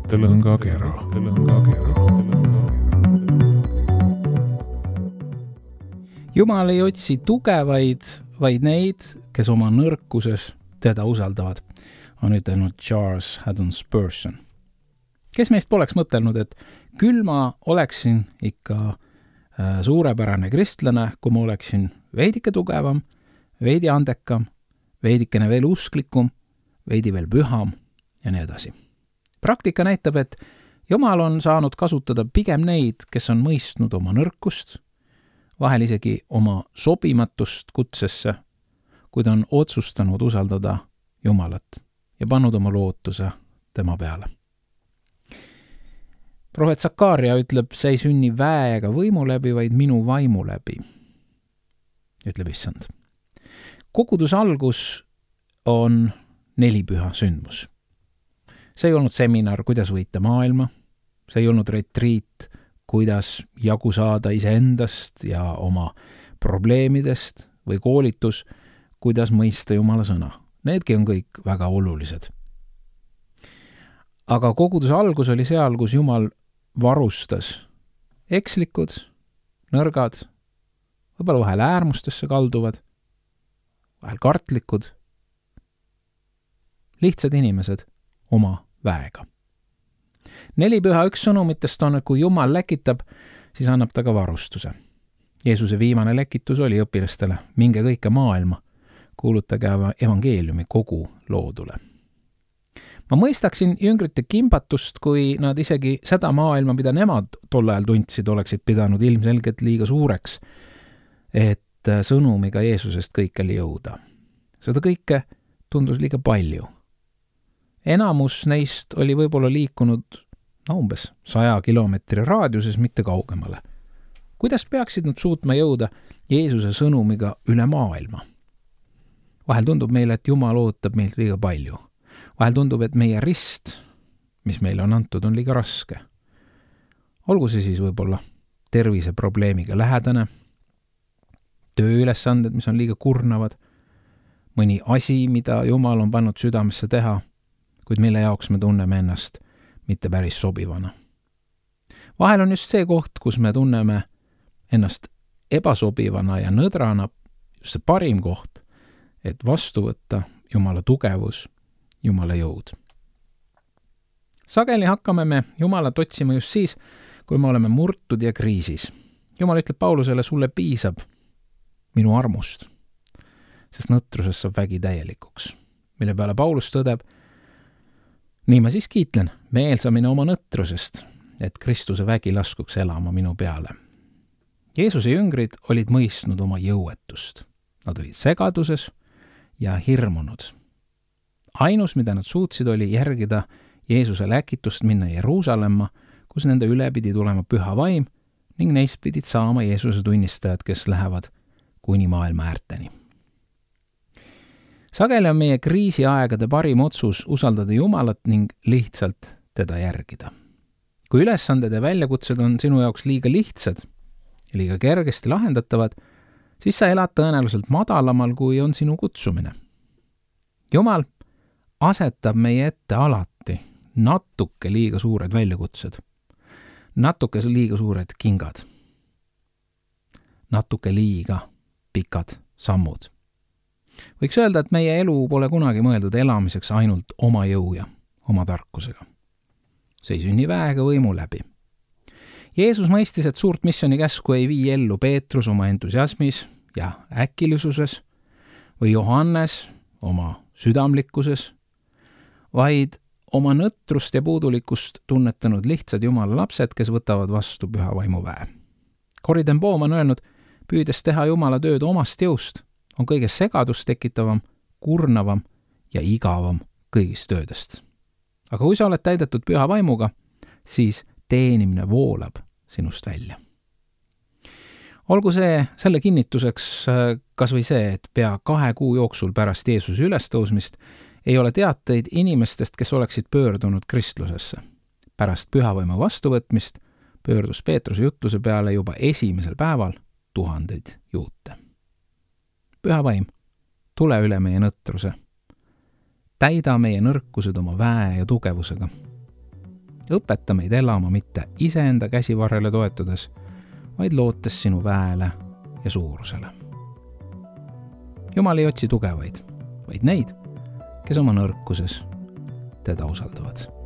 mõttelõngakera. Jumal ei otsi tugevaid, vaid neid, kes oma nõrkuses teda usaldavad, on ütelnud Charles Haddon Spurgeon. Kes meist poleks mõtelnud, et küll ma oleksin ikka suurepärane kristlane, kui ma oleksin veidike tugevam, veidi andekam, veidikene veel usklikum, veidi veel püham ja nii edasi. Praktika näitab, et Jumal on saanud kasutada pigem neid, kes on mõistnud oma nõrkust, vahel isegi oma sobimatust kutsesse, kuid on otsustanud usaldada Jumalat ja pannud oma lootuse tema peale. Prohvet Sakaaria ütleb, see ei sünni väe ega võimu läbi, vaid minu vaimu läbi, ütleb issand. Koguduse algus on 4 püha sündmus. See ei olnud seminar, kuidas võita maailma, see ei olnud retriit, kuidas jagu saada iseendast ja oma probleemidest või koolitus, kuidas mõista Jumala sõna. Needki on kõik väga olulised. Aga koguduse algus oli seal, kus Jumal varustas ekslikud, nõrgad, võib-olla vahel äärmustesse kalduvad, vahel kartlikud, lihtsad inimesed oma väega. 4 püha üks sõnumitest on, et kui Jumal läkitab, siis annab ta ka varustuse. Jeesuse viimane läkitus oli õpilastele, minge kõike maailma, kuulutage evangeeliumi kogu loodule. Ma mõistaksin jüngrite kimbatust, kui nad isegi seda maailma, mida nemad tol ajal tundsid, oleksid pidanud ilmselgelt liiga suureks, et sõnumiga Jeesusest kõikjale jõuda. Seda kõike tundus liiga palju. Enamus neist oli võib-olla liikunud umbes 100 kilomeetri raadiuses, mitte kaugemale. Kuidas peaksid nad suutma jõuda Jeesuse sõnumiga üle maailma? Vahel tundub meile, et Jumal ootab meilt liiga palju. Vahel tundub, et meie rist, mis meile on antud, on liiga raske. Olgu see siis võib-olla terviseprobleemiga lähedane, tööülesanded, mis on liiga kurnavad, mõni asi, mida Jumal on pannud südamesse teha, kuid mille jaoks me tunneme ennast mitte päris sobivana. Vahel on just see koht, kus me tunneme ennast ebasobivana ja nõdrana, just see parim koht, et vastu võtta Jumala tugevus, Jumala jõud. Sageli hakkame me Jumalat otsima just siis, kui me oleme murtud ja kriisis. Jumal ütleb Paulusele, sulle piisab minu armust, sest nõtrusest saab vägi täielikuks, mille peale Paulus tõdeb, nii ma siis kiitlen meelsamine oma nõtrusest, et Kristuse vägi laskuks elama minu peale. Jeesuse jüngrid olid mõistnud oma jõuetust. Nad olid segaduses ja hirmunud. Ainus, mida nad suutsid, oli järgida Jeesuse läkitust minna Jeruusalemma, kus nende üle pidi tulema püha vaim ning neist pidid saama Jeesuse tunnistajad, kes lähevad kuni maailma äärteni. Sageli on meie kriisiaegade parim otsus usaldada Jumalat ning lihtsalt teda järgida. Kui ülesanded ja väljakutsed on sinu jaoks liiga lihtsad ja liiga kergesti lahendatavad, siis sa elad tõenäoliselt madalamal, kui on sinu kutsumine. Jumal asetab meie ette alati natuke liiga suured väljakutsed, natuke liiga suured kingad, natuke liiga pikad sammud. Võiks öelda, et meie elu pole kunagi mõeldud elamiseks ainult oma jõu ja oma tarkusega. See ei sünni väega võimu läbi. Jeesus mõistis, et suurt missionikäsku ei vii ellu Peetrus oma entusiasmis ja äkilisuses või Johannes oma südamlikkuses, vaid oma nõtrust ja puudulikkust tunnetanud lihtsad Jumala lapsed, kes võtavad vastu püha vaimu väe. Corrie ten Boom on öelnud, püüdes teha Jumala tööd omast jõust, on kõige segadust tekitavam, kurnavam ja igavam kõigist töödest. Aga kui sa oled täidetud püha vaimuga, siis teenimine voolab sinust välja. Olgu selle kinnituseks kas või see, et pea 2 kuu jooksul pärast Jeesuse ülestõusmist ei ole teateid inimestest, kes oleksid pöördunud kristlusesse. Pärast pühavaimu vastuvõtmist pöördus Peetruse jutluse peale juba esimesel päeval 1000 juute. Püha vaim, tule üle meie nõtruse. Täida meie nõrkused oma väe ja tugevusega Õpeta meid elama mitte iseenda käsivarrele toetudes, vaid lootes sinu väele ja suurusele. Jumal ei otsi tugevaid, vaid neid, kes oma nõrkuses teda usaldavad.